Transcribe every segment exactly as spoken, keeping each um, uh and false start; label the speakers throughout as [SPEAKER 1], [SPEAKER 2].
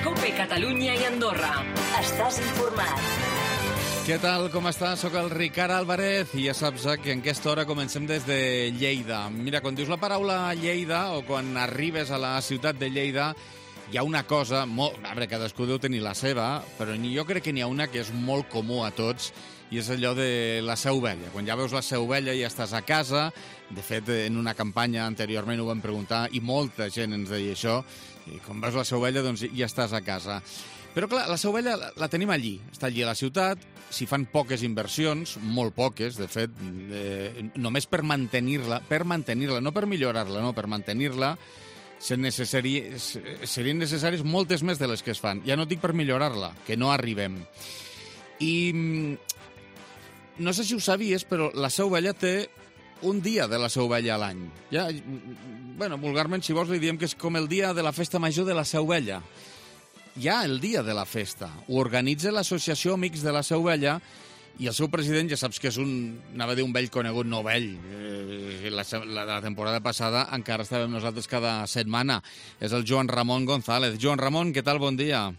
[SPEAKER 1] COPE Catalunya i Andorra. Estàs informat.
[SPEAKER 2] Què tal, com estàs? Soc el Ricard Álvarez i ja saps que en aquesta hora comencem des de Lleida. Mira, quan dius la paraula Lleida o quan arribes a la ciutat de Lleida, hi ha una cosa, molt, a veure, cadascú deu tenir la seva, però jo crec que n'hi ha una que és molt comú a tots i és allò de la Seu Vella. Quan ja veus la Seu Vella ja estàs a casa. De fet, en una campanya anteriorment ho vam preguntar i molta gent ens deia això. I quan veus la Seu Vella, doncs ja estàs a casa. Però clar, la Seu Vella la tenim allí, està allí a la ciutat, s'hi fan poques inversions, molt poques, de fet, eh, només per mantenir-la, per mantenir-la, no per millorar-la, no, per mantenir-la, serien necessàries, serien necessàries moltes més de les que es fan. Ja no dic per millorar-la, que no arribem. I no sé si ho sabies, però la Seu Vella té un dia de la Seu Vella a l'any. Ja, bueno, vulgarment, si vols, li diem que és com el dia de la festa major de la Seu Vella. Hi ha el dia de la festa. Ho organitza l'Associació Amics de la Seu Vella i el seu president, ja saps que és un, anava a dir un vell conegut, no vell. Eh, la, la, la temporada passada encara estàvem nosaltres cada setmana. És el Joan Ramon González. Joan Ramon, què tal? Bon dia.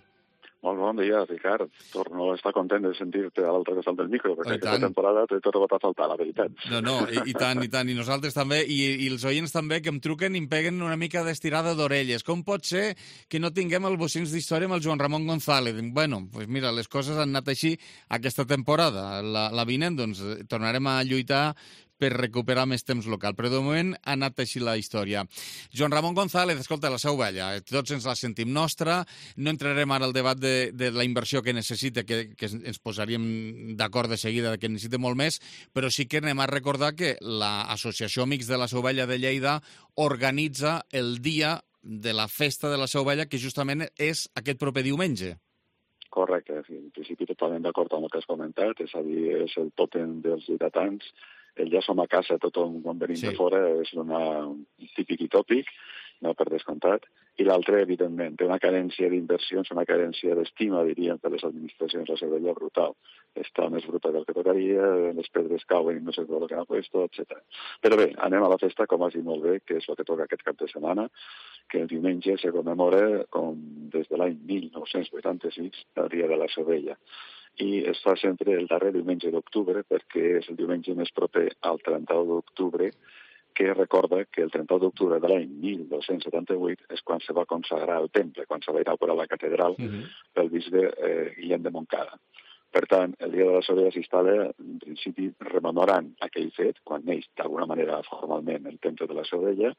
[SPEAKER 3] Molt bon dia, Ricard. Torno a estar content de sentir-te a l'altre costat del micro, perquè oh, aquesta temporada t'he trobat a faltar, la veritat.
[SPEAKER 2] No, no, i, i tant, i tant, i nosaltres també, i, i els oients també, que em truquen i em peguen una mica d'estirada d'orelles. Com pot ser que no tinguem el Bocins d'Història amb el Joan Ramon González? Bueno, pues mira, les coses han anat així aquesta temporada. La, la vinent, doncs, tornarem a lluitar per recuperar més temps local. Però de moment ha anat així la història. Joan Ramon González, escolta, la Seu Vella, tots ens la sentim nostra, no entrarem ara al debat de, de la inversió que necessita, que, que ens posaríem d'acord de seguida que necessita molt més, però sí que anem a recordar que l'Associació Amics de la Seu Vella de Lleida organitza el dia de la festa de la Seu Vella, que justament és aquest proper diumenge.
[SPEAKER 3] Correcte, en principi totalment d'acord amb el que has comentat, és a dir, és el tòtem dels lleidatans. El ja som a casa, tothom quan venim sí. de fora, és una, un típic i tòpic, no per descomptat. I l'altre, evidentment, té una carència d'inversions, una carència d'estima, diríem, per les administracions de la Seu Vella brutal. Està més bruta del que tocaria, les pedres cauen i no sé tot el que han puesto, etcètera. Però bé, anem a la festa, com has dit molt bé, que és el que toca aquest cap de setmana, que el diumenge se commemora, com des de l'any mil nou-cents vuitanta-sis, el dia de la Seu Vella. I es fa sempre el darrer diumenge d'octubre perquè és el diumenge més proper al trenta-u d'octubre, que recorda que el trenta-u d'octubre de l'any mil dos-cents setanta-vuit és quan se va consagrar el temple, quan se va inaugurar la catedral uh-huh. pel bisbe eh, Guillem de Montcada. Per tant, el dia de la Seu Vella s'instal·la, en principi, rememorant aquell fet, quan neix d'alguna manera formalment el temple de la Seu Vella,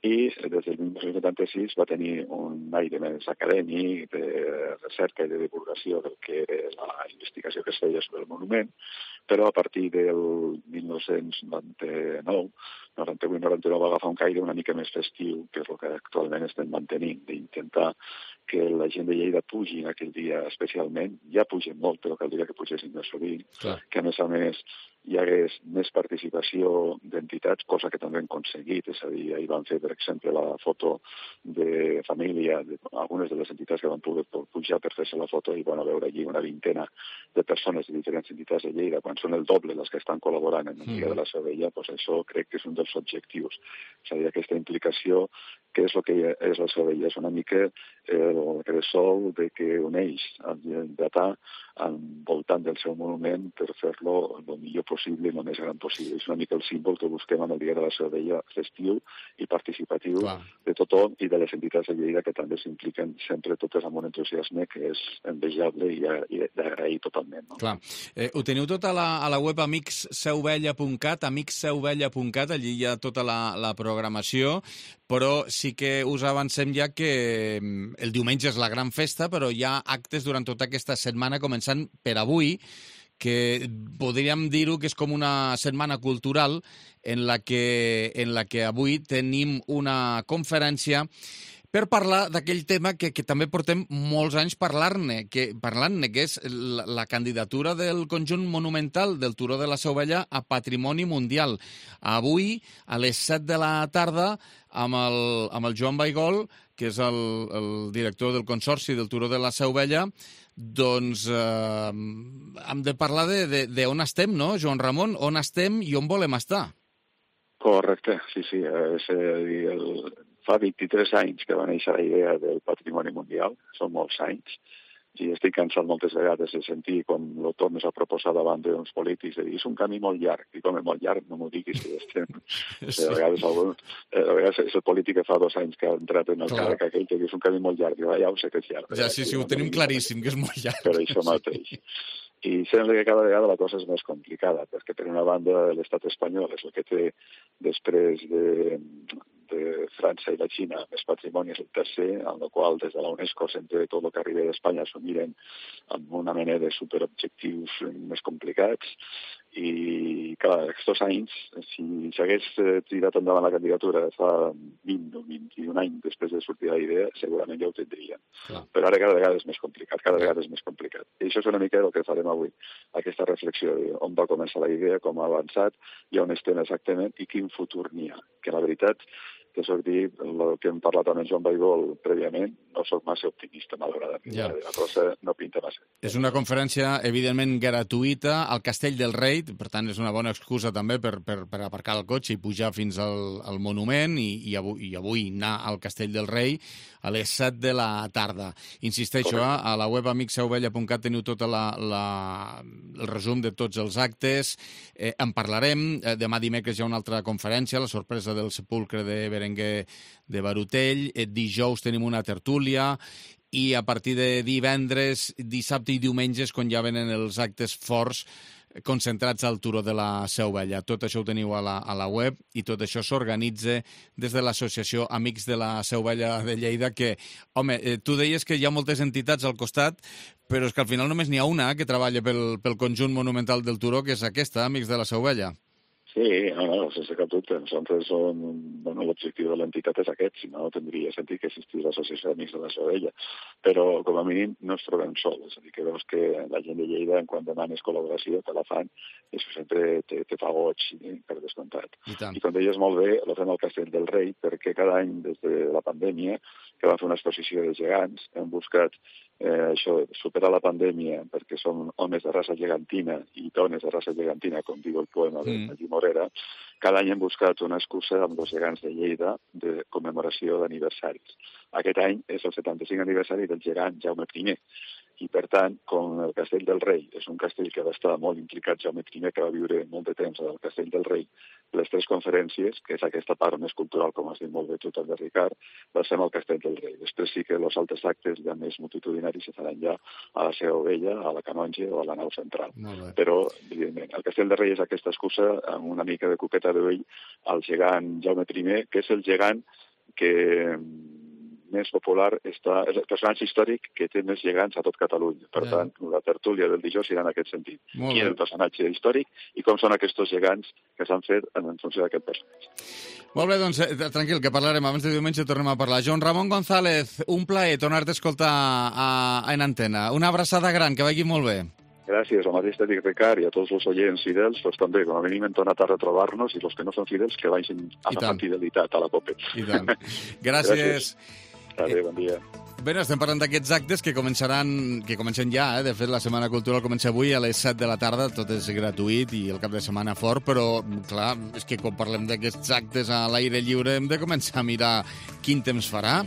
[SPEAKER 3] i des del mil nou-cents setanta-sis va tenir un aire més acadèmic, de recerca i de divulgació del que era la investigació que es feia sobre el monument, però a partir del mil nou-cents noranta-nou, noranta-vuit noranta-nou va agafar un caire una mica més festiu, que és el que actualment estem mantenint, d'intentar que la gent de Lleida pugi en aquell dia especialment. Ja pugen molt, però caldria que pugessin més sovint, Clar. que a més a més hi hagués més participació d'entitats, cosa que també hem aconseguit, és a dir, ahir van fer, per exemple, la foto de família, de, algunes de les entitats que van poder pujar per fer-se la foto i van veure allí una vintena de persones de diferents entitats de Lleida, quan són el doble les que estan col·laborant en el dia de la Seu Vella, doncs això crec que és un dels objectius. És a dir, aquesta implicació, que és el que és la Seu Vella, és una mica el cressol de que uneix el lleidatà envoltant del seu monument per fer-lo el millor possible i el més gran possible. És una mica el símbol que busquem en el dia de la Seu Vella, festiu i participatiu Clar. de tothom i de les entitats de Lleida que també s'impliquen sempre totes amb un entusiasme que és envejable i, i d'agrair totalment. No?
[SPEAKER 2] Clar. Eh, ho teniu tot a la, a la web amics seu vella punt cat, amics seu vella punt cat, allí hi ha tota la, la programació, però sí que us avancem ja que el diumenge és la gran festa, però hi ha actes durant tota aquesta setmana, començant per avui, que podríem dir-ho que és com una setmana cultural en la que, en la que avui tenim una conferència per parlar d'aquell tema que, que també portem molts anys parlant-ne, que, parlant-ne, que és la, la candidatura del conjunt monumental del Turó de la Seu Vella a Patrimoni Mundial. Avui, a les set de la tarda, amb el, amb el Joan Baigol, que és el, el director del Consorci del Turó de la Seu Vella, doncs eh, hem de parlar de, de, de on estem, no, Joan Ramon? On estem i on volem estar?
[SPEAKER 3] Correcte, sí, sí. És, eh, el, fa vint-i-tres anys que va néixer la idea del patrimoni mundial, són molts anys, i estic cansat moltes vegades de sentir com el tornes a proposar davant d'uns polítics de dir és un camí molt llarg, i com és molt llarg no m'ho diguis que estem... Sí. A vegades, algun, a vegades és el polític que fa dos anys que ha entrat en el càrrec aquell que diu és un camí molt llarg, i ja ho sé que és llarg.
[SPEAKER 2] Ja, sí, sí, ho tenim claríssim, que és molt llarg.
[SPEAKER 3] Per això mateix. I sembla que cada vegada la cosa és més complicada, perquè per una banda l'estat espanyol és el que té després de, de França i la Xina més patrimoni, és el tercer, en el qual des de la UNESCO sempre tot el que arriba d'Espanya s'ho miren amb una mena de superobjectius més complicats. I, clar, aquests anys, si s'hagués tirat endavant la candidatura fa vint o vint-i-un anys després de sortir la idea, segurament ja ho tindrien. Clar. Però ara cada vegada és més complicat, cada vegada és més complicat. I això és una mica el que farem avui, aquesta reflexió de on va començar la idea, com ha avançat i on estem exactament i quin futur n'hi ha. Que la veritat, que soc dir, el que hem parlat amb en Joan Baigol prèviament, no soc massa optimista, malauradament. Ja. La cosa no pinta massa.
[SPEAKER 2] És una conferència, evidentment, gratuïta al Castell del Rei, per tant, és una bona excusa també per, per, per aparcar el cotxe i pujar fins al, al monument i, i, avui, i avui anar al Castell del Rei a les set de la tarda. Insisteixo, eh, a la web amic sauvella punt cat teniu tot la, la, el resum de tots els actes. Eh, en parlarem. Eh, demà dimecres hi ha una altra conferència, la sorpresa del sepulcre de Berenguer de Barutell. Eh, dijous tenim una tertúlia i a partir de divendres, dissabte i diumenges, quan ja venen els actes forts concentrats al Turó de la Seu Vella. Tot això ho teniu a la, a la web i tot això s'organitza des de l'associació Amics de la Seu Vella de Lleida, que, home, eh, tu deies que hi ha moltes entitats al costat, però és que al final només n'hi ha una que treballa pel, pel conjunt monumental del Turó, que és aquesta, Amics de la Seu Vella.
[SPEAKER 3] Sí, no, no, sense cap dubte. Nosaltres som, bueno, l'objectiu de l'entitat és aquest, si no tindria sentit que existís l'associació d'Amics de la Seu Vella. Però, com a mínim, no ens trobem sols. És a dir, que veus que la gent de Lleida, quan demanes col·laboració, te la fan, i això sempre te, te fa goig, eh, per descomptat. I, I com deies molt bé, lo fem al Castell del Rei, perquè cada any, des de la pandèmia, que vam fer una exposició de gegants, hem buscat eh, això, superar la pandèmia, perquè som homes de raça gegantina i dones de raça gegantina, com diu el poema de Magí mm. Morera. Cada any hem buscat una excusa amb els gegants de Lleida de commemoració d'aniversaris. Aquest any és el setanta-cinc aniversari del gegant Jaume primer. I, per tant, com el Castell del Rei és un castell que va estar molt implicat, Jaume primer, que va viure molt de temps al Castell del Rei, les tres conferències, que és aquesta part més cultural, com has dit molt bé tu també, Ricard, va ser al Castell del Rei. Després sí que els altres actes ja més multitudinaris se faran ja a la Seu Vella, a la Canonge o a la nau central. Però, evidentment, el Castell del Rei és aquesta excusa amb una mica de coqueta d'ull al gegant Jaume primer, que és el gegant que més popular està, és el personatge històric que té més gegants a tot Catalunya. Per ja. tant, la tertúlia del dijous irà en aquest sentit. Qui és el personatge històric i com són aquests gegants que s'han fet en funció d'aquest personatge.
[SPEAKER 2] Molt bé, doncs, eh, tranquil, que parlarem. Abans de diumenge tornem a parlar. Joan Ramon González, un plaer tornar-te a escoltar a, a, en antena. Una abraçada gran, que vagi molt bé.
[SPEAKER 3] Gràcies, el mateix t'he dit, Ricard, i a tots els oients fidels, doncs també, com a mínim hem tornat a retrobar-nos, i els que no són fidels, que vagin amb fidelitat a la COPE.
[SPEAKER 2] I tant. Gràcies.
[SPEAKER 3] Adéu, bon dia.
[SPEAKER 2] Bé, estem parlant d'aquests actes que començaran, que comencen ja, eh? De fet, la Setmana Cultural comença avui a les set de la tarda, tot és gratuït i el cap de setmana fort, però, clar, és que quan parlem d'aquests actes a l'aire lliure hem de començar a mirar quin temps farà.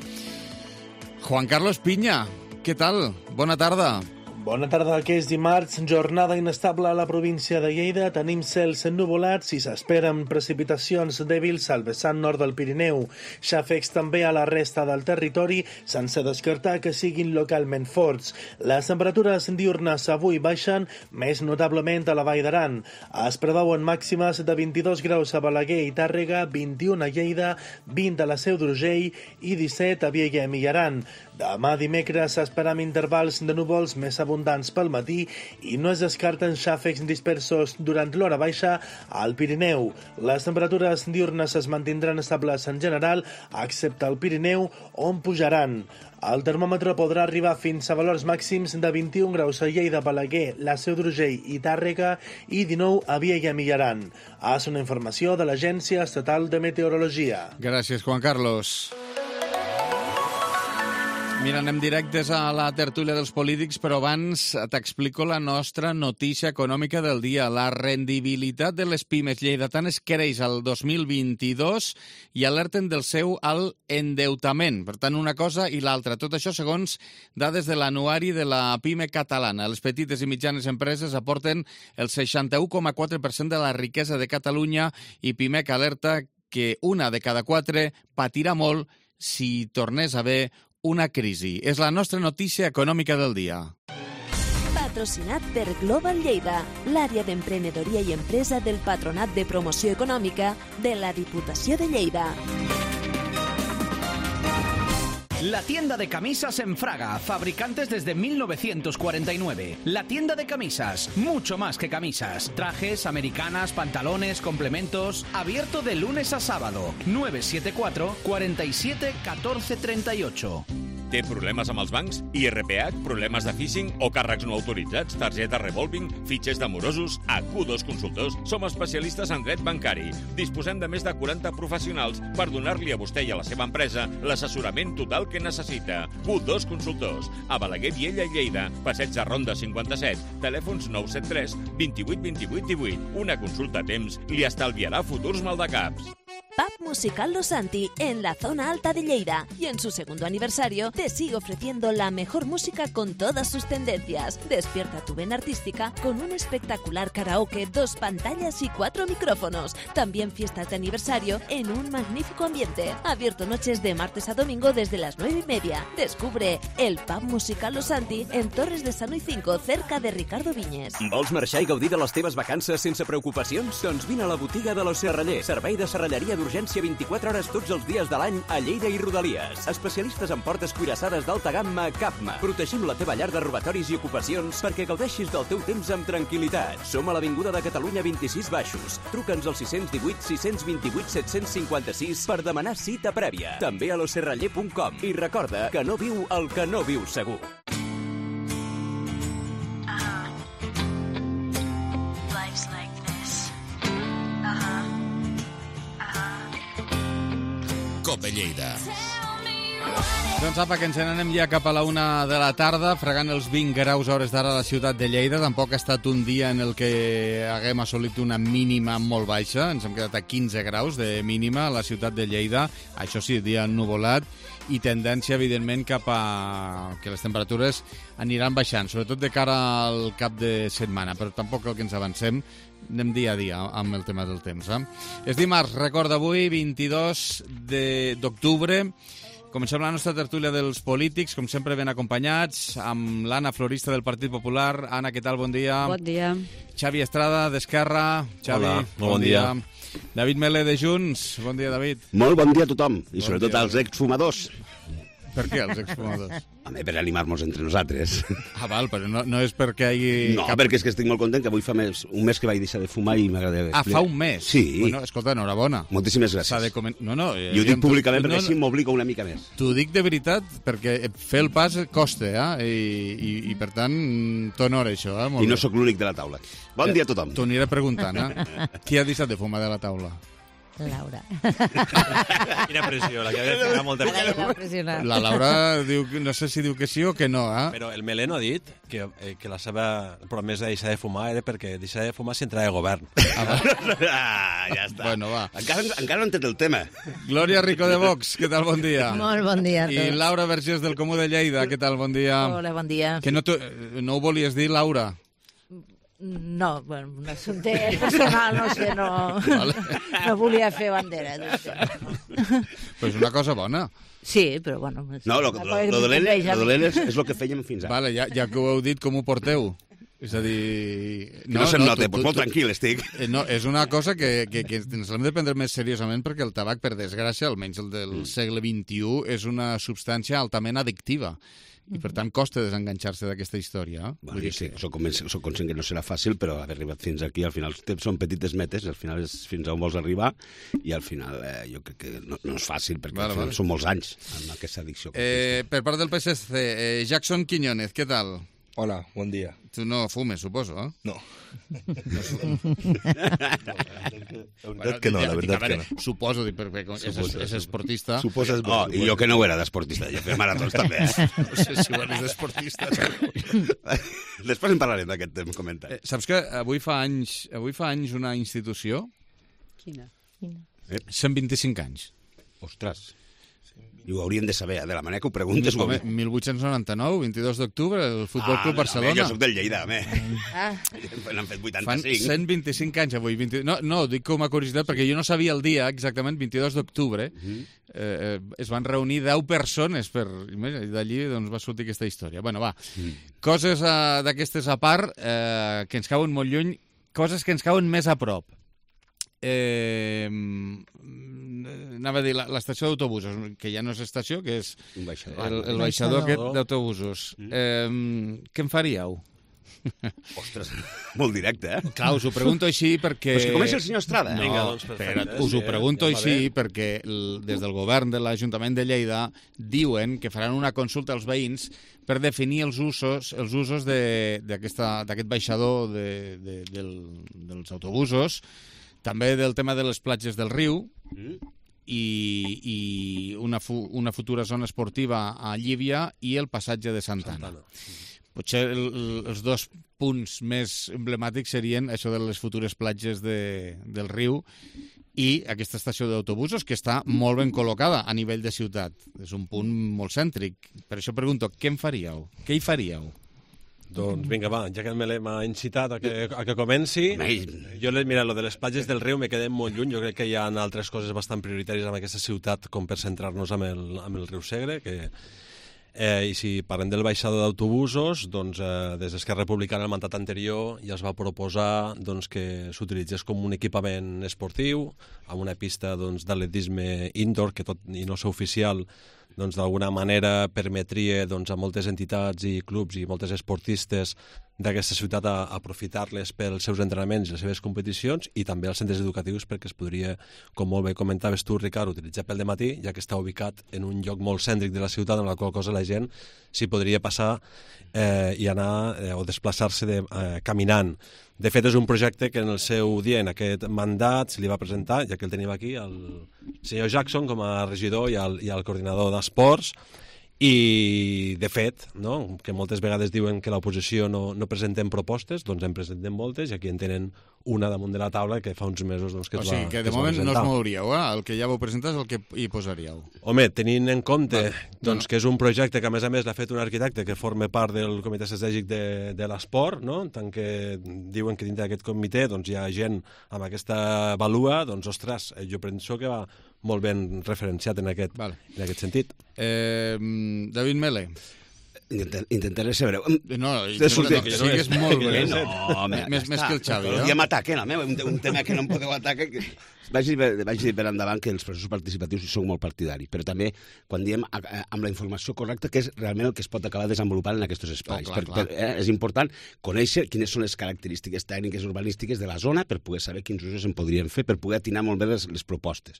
[SPEAKER 2] Juan Carlos Piña, què tal? Bona tarda.
[SPEAKER 4] Bona tarda, que és dimarts, jornada inestable a la província de Lleida. Tenim cels ennuvolats i s'esperen precipitacions dèbils al vessant nord del Pirineu. Xàfecs també a la resta del territori, sense descartar que siguin localment forts. Les temperatures diurnes avui baixen, més notablement a la Vall d'Aran. Es preveuen màximes de vint-i-dos graus a Balaguer i Tàrrega, vint-i-un a Lleida, vint a la Seu d'Urgell i disset a Vielha i Aran. Demà dimecres s'esperen intervals de núvols més abundants pel matí i no es descarten xàfecs dispersos durant l'hora baixa al Pirineu. Les temperatures diurnes es mantindran estables en general, excepte al Pirineu, on pujaran. El termòmetre podrà arribar fins a valors màxims de vint-i-un graus a Lleida, Balaguer, la Seu d'Urgell i Tàrrega i dinou a Vielha i Aran. És una informació de l'Agència Estatal de Meteorologia.
[SPEAKER 2] Gràcies, Juan Carlos. Mira, anem directes a la tertúlia dels polítics, però abans t'explico la nostra notícia econòmica del dia. La rendibilitat de les pimes lleidatanes creix al dos mil vint-i-dos i alerten del seu alt endeutament. Per tant, una cosa i l'altra. Tot això segons dades de l'anuari de la PIME catalana. Les petites i mitjanes empreses aporten el seixanta-u coma quatre per cent de la riquesa de Catalunya i PIMEC alerta que una de cada quatre patirà molt si tornés a haver una crisi. És la nostra notícia econòmica del dia.
[SPEAKER 5] Patrocinat per Global Lleida, l'àrea d'emprenedoria i empresa del Patronat de Promoció Econòmica de la Diputació de Lleida.
[SPEAKER 6] La tienda de camisas en Fraga, fabricantes desde mil novecientos cuarenta y nueve. La tienda de camisas, mucho más que camisas. Trajes, americanas, pantalones, complementos. Abierto de lunes a sábado. nueve siete cuatro, cuatro siete, uno cuatro tres ocho.
[SPEAKER 7] Té problemes amb els bancs? I R P H, problemes de phishing o càrrecs no autoritzats, targeta revolving, fitxers d'amorosos? A Q dos Consultors som especialistes en dret bancari. Disposem de més de quaranta professionals per donar-li a vostè i a la seva empresa l'assessorament total que necessita. Q dos Consultors, a Balaguer, Viella i Lleida, passeig de Ronda cinquanta-set, telèfons nou set tres, vint-i-vuit vint-i-vuit divuit. Una consulta a temps li estalviarà futurs maldecaps.
[SPEAKER 5] Pub Musical Los Santi, en la zona alta de Lleida, y en su segundo aniversario te sigue ofreciendo la mejor música con todas sus tendencias. Despierta tu vena artística con un espectacular karaoke, dos pantallas y cuatro micrófonos. También fiestas de aniversario en un magnífico ambiente. Abierto noches de martes a domingo desde las nueve y media. Descubre el Pub Musical Los Santi en Torres de Sano y cinco, cerca de Ricardo Viñes.
[SPEAKER 8] Vols marxar i gaudir de les teves vacances sense preocupacions? Doncs vine a la botiga de Los Serraller, servei de serralleria d'urgència vint-i-quatre hores tots els dies de l'any a Lleida i Rodalies. Especialistes en portes cuirassades d'alta gamma Capma. Protegim la teva llar de robatoris i ocupacions perquè gaudeixis del teu temps amb tranquil·litat. Som a l'Avinguda de Catalunya vint-i-sis Baixos. Truca'ns al sis cents divuit sis cents vint-i-vuit set cents cinquanta-sis per demanar cita prèvia. També a loserraller punt com. I recorda que no viu el que no viu segur.
[SPEAKER 7] Cope Lleida.
[SPEAKER 2] Doncs apa, que ens n'anem ja cap a la una de la tarda, fregant els vint graus a hores d'ara a la ciutat de Lleida. Tampoc ha estat un dia en el que haguem assolit una mínima molt baixa. Ens hem quedat a quinze graus de mínima a la ciutat de Lleida. Això sí, dia ennuvolat i tendència, evidentment, cap a que les temperatures aniran baixant, sobretot de cara al cap de setmana, però tampoc cal que ens avancem. Anem dia a dia amb el tema del temps. Eh? És dimarts, recorda, avui, vint-i-dos d'octubre. Comencem la nostra tertúlia dels polítics, com sempre ben acompanyats, amb l'Anna Florista del Partit Popular. Anna, què tal? Bon dia.
[SPEAKER 9] Bon dia.
[SPEAKER 2] Xavi Estrada, d'Esquerra. Xavi,
[SPEAKER 10] hola,
[SPEAKER 2] bon, bon dia. dia. David Melé, de Junts. Bon dia, David.
[SPEAKER 10] Molt bon dia a tothom, i
[SPEAKER 2] bon
[SPEAKER 10] sobretot
[SPEAKER 2] dia,
[SPEAKER 10] als exfumadors.
[SPEAKER 2] Per què, els exfumadors?
[SPEAKER 10] Home, per animar-nos entre nosaltres.
[SPEAKER 2] Ah, val, però no, no és perquè hi hagi...
[SPEAKER 10] No,
[SPEAKER 2] cap...
[SPEAKER 10] perquè és que estic molt content, que avui fa més, un mes que vaig deixar de fumar i m'agrada...
[SPEAKER 2] Ah, fa un mes?
[SPEAKER 10] Sí.
[SPEAKER 2] Bueno, escolta, enhorabona.
[SPEAKER 10] Moltíssimes gràcies.
[SPEAKER 2] De comen... No, no...
[SPEAKER 10] I ho dic públicament
[SPEAKER 2] no,
[SPEAKER 10] perquè
[SPEAKER 2] no,
[SPEAKER 10] així m'obligo una mica més.
[SPEAKER 2] T'ho dic de veritat, perquè fer el pas costa, eh? I, i, i per tant, t'honora això, eh? Molt
[SPEAKER 10] I no
[SPEAKER 2] bé.
[SPEAKER 10] sóc l'únic de la taula. Bon dia a tothom.
[SPEAKER 2] T'ho aniré preguntant, eh? Qui ha deixat de fumar de la taula?
[SPEAKER 9] Laura.
[SPEAKER 11] Quina pressió, la que ha de ficar molta pressió.
[SPEAKER 2] La Laura diu, no sé si diu que sí o que no, eh?
[SPEAKER 11] Però el Meleno ha dit que, eh, que la seva promesa de deixar de fumar era perquè deixar de fumar si entrava de govern.
[SPEAKER 10] Ah, ah, ja està.
[SPEAKER 2] Bueno, va.
[SPEAKER 10] Encara, encara no he entès el tema.
[SPEAKER 2] Glòria Rico de Vox, què tal? Bon dia.
[SPEAKER 9] Molt bon dia a tots.
[SPEAKER 2] I Laura Vergés del Comú de Lleida, què tal? Bon dia.
[SPEAKER 9] Hola, bon dia.
[SPEAKER 2] Que no, no ho volies dir, Laura?
[SPEAKER 9] No, bueno, un assumpte personal, no sé, no, vale. No volia fer bandera.
[SPEAKER 2] Però és una cosa bona.
[SPEAKER 9] Sí, però bueno...
[SPEAKER 10] No, lo, lo, lo dolent, lo dolent és, és el que fèiem fins ara.
[SPEAKER 2] Vale, ja, ja que ho heu dit, com ho porteu? És a dir...
[SPEAKER 10] No, no se'm no, nota, tu, tu, molt tu, tranquil estic.
[SPEAKER 2] No, és una cosa que, que, que ens l'hem de prendre més seriosament perquè el tabac, per desgràcia, almenys el del mm. segle vint-i-u, és una substància altament addictiva. I, per tant, costa desenganxar-se d'aquesta història. Eh?
[SPEAKER 10] Bueno, jo sí, soc, soc conscient que no serà fàcil, però haver arribat fins aquí, al final són petites metes, al final és fins a on vols arribar, i al final eh, jo crec que no, no és fàcil, perquè vale, al final vale. Són molts anys amb aquesta addicció.
[SPEAKER 2] Eh, per part del P S C, eh, Jackson Quiñónez, què tal?
[SPEAKER 12] Hola, bon dia.
[SPEAKER 2] Tu no fumes, suposo, eh?
[SPEAKER 12] No.
[SPEAKER 2] La veritat que no, la veritat que no. Suposo, perquè és, és esportista.
[SPEAKER 10] Suposes... Oh, i jo que no ho era d'esportista, jo fer maratons també, eh?
[SPEAKER 2] No sé si ho eres d'esportista.
[SPEAKER 10] Després en parlarem d'aquest comentari.
[SPEAKER 2] Saps que avui fa anys, avui fa anys una institució...
[SPEAKER 9] Quina?
[SPEAKER 2] cent vint-i-cinc anys.
[SPEAKER 10] Ostres... I ho hauríem de saber, de la manera que ho preguntes.
[SPEAKER 2] Home, mil vuit-cents noranta-nou, vint-i-dos d'octubre, el Futbol Club Barcelona.
[SPEAKER 10] Ah, jo soc del Lleida, home.
[SPEAKER 9] Ah.
[SPEAKER 10] N'han fet vuitanta-cinc.
[SPEAKER 2] Fan cent vint-i-cinc anys avui. vint... No, no, dic com a curiositat, perquè jo no sabia el dia exactament, vint-i-dos d'octubre. Mm-hmm. eh, es van reunir deu persones per... I d'allí doncs, va sortir aquesta història. Bueno, va. Mm. Coses uh, d'aquestes a part, eh, que ens cauen molt lluny, coses que ens cauen més a prop. Eh, anava a dir l'estació d'autobusos, que ja no és estació, que és
[SPEAKER 10] un baixador.
[SPEAKER 2] el, el baixador aquest d'autobusos. Mm. Eh, què en faríeu?
[SPEAKER 10] Ostres, molt directe, eh?
[SPEAKER 2] Clar, us ho pregunto així perquè...
[SPEAKER 10] Però és que comença el senyor Estrada.
[SPEAKER 2] No,
[SPEAKER 11] Vinga, doncs,
[SPEAKER 2] espera, us ho pregunto ja, així perquè des del govern de l'Ajuntament de Lleida diuen que faran una consulta als veïns per definir els usos els usos d'aquest baixador de, de, del, dels autobusos, també del tema de les platges del riu mm. i, i una, fu, una futura zona esportiva a Llívia i el passatge de Santa Anna. Potser el, els dos punts més emblemàtics serien això de les futures platges de, del riu i aquesta estació d'autobusos que està molt ben col·locada a nivell de ciutat. És un punt molt cèntric. Per això pregunto, què en faríeu? Què hi faríeu?
[SPEAKER 11] Doncs vinga, va, ja que el Melé m'ha incitat a que, a que comenci, jo, mira, lo de les platges del riu me quedé molt lluny, jo crec que hi ha altres coses bastant prioritàries en aquesta ciutat com per centrar-nos amb el, amb el riu Segre, que... Eh, I si parlem del baixador d'autobusos, doncs eh, des d'Esquerra Republicana el mandat anterior ja es va proposar doncs, que s'utilitzés com un equipament esportiu, amb una pista doncs, d'atletisme indoor, que tot i no ser oficial, doncs, d'alguna manera permetria doncs, a moltes entitats i clubs i moltes esportistes d'aquesta ciutat a, a aprofitar-les pels seus entrenaments i les seves competicions i també als centres educatius perquè es podria, com molt bé comentaves tu, Ricard, utilitzar pel dematí, ja que està ubicat en un lloc molt cèntric de la ciutat, en la qual cosa la gent s'hi podria passar eh, i anar eh, o desplaçar-se de, eh, caminant. De fet, és un projecte que en el seu dia, en aquest mandat, se li va presentar, ja que el tenim aquí, al senyor Jackson com a regidor i al, i al coordinador d'esports, i, de fet, no, que moltes vegades diuen que l'oposició no, no presentem propostes, doncs en presentem moltes i aquí en tenen una damunt de la taula que fa uns mesos doncs, que es va presentar. O sigui,
[SPEAKER 2] que de moment no us mouríeu, eh? El que ja vau presentar és el que hi posaríeu.
[SPEAKER 11] Home, tenint en compte vale. doncs, que és un projecte que a més a més l'ha fet un arquitecte que forma part del comitè estratègic de, de l'esport, no? Tant que diuen que dintre d'aquest comitè doncs, hi ha gent amb aquesta valua, doncs, ostres, jo penso que va molt ben referenciat en aquest, vale. en aquest sentit.
[SPEAKER 2] Eh, David Mele.
[SPEAKER 10] Intentaré ser breu.
[SPEAKER 2] No, no, que sigues molt breu.
[SPEAKER 10] No, home,
[SPEAKER 2] més, més que el Xavi.
[SPEAKER 10] Eh? Ja m'ataquen, a mi, un, un tema que no em podeu atacar. Que... Vaig, dir, vaig dir per endavant que els processos participatius són molt partidaris, però també quan diem amb la informació correcta que és realment el que es pot acabar desenvolupant en aquests espais. Oh, clar, per, per, eh, és important conèixer quines són les característiques tècniques urbanístiques de la zona per poder saber quins usos en podrien fer, per poder atinar molt bé les, les propostes.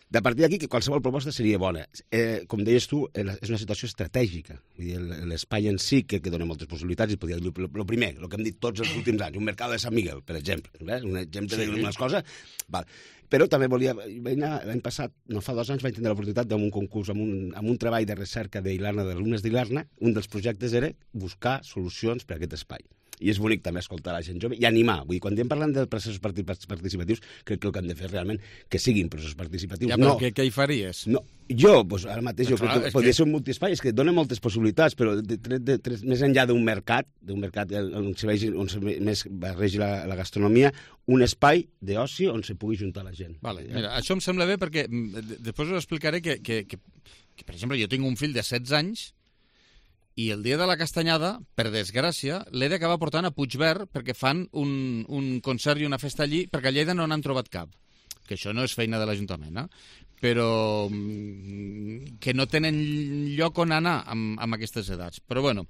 [SPEAKER 10] De partir d'aquí, que qualsevol proposta seria bona. Eh, com deies tu, és una situació estratègica. L'espai en si, que, que dona moltes possibilitats, i podria dir, el primer, el que hem dit tots els últims anys, un mercat de Sant Miguel, per exemple. Eh? Un exemple sí. d'unes coses. Val. Però també volia... L'any passat, no fa dos anys, vaig tenir l'oportunitat d'un concurs, amb un, amb un treball de recerca d'Ilarna, d'alumnes d'Ilarna. Un dels projectes era buscar solucions per a aquest espai. I és bonic també escoltar la gent jove i animar. Vull dir, quan estem parlant de processos participatius, crec que el que hem de fer realment que siguin processos participatius.
[SPEAKER 2] Ja, però
[SPEAKER 10] no,
[SPEAKER 2] què, què hi faries?
[SPEAKER 10] No, jo, doncs, ara mateix, jo
[SPEAKER 2] clar,
[SPEAKER 10] crec que podria
[SPEAKER 2] que...
[SPEAKER 10] ser un multiespai, és que dona moltes possibilitats, però de, de, de, de, més enllà d'un mercat, d'un mercat on se vegi, on se més barregi la, la gastronomia, un espai d'oci on se pugui juntar la gent.
[SPEAKER 2] Vale, mira, això em sembla bé perquè després us explicaré que, que, que, que, per exemple, jo tinc un fill de setze anys i el dia de la castanyada, per desgràcia, l'he d'acabar portant a Puigverd perquè fan un, un concert i una festa allí, perquè a Lleida no n'han trobat cap. Que això no és feina de l'Ajuntament, eh? Però que no tenen lloc on anar amb, amb aquestes edats. Però bueno,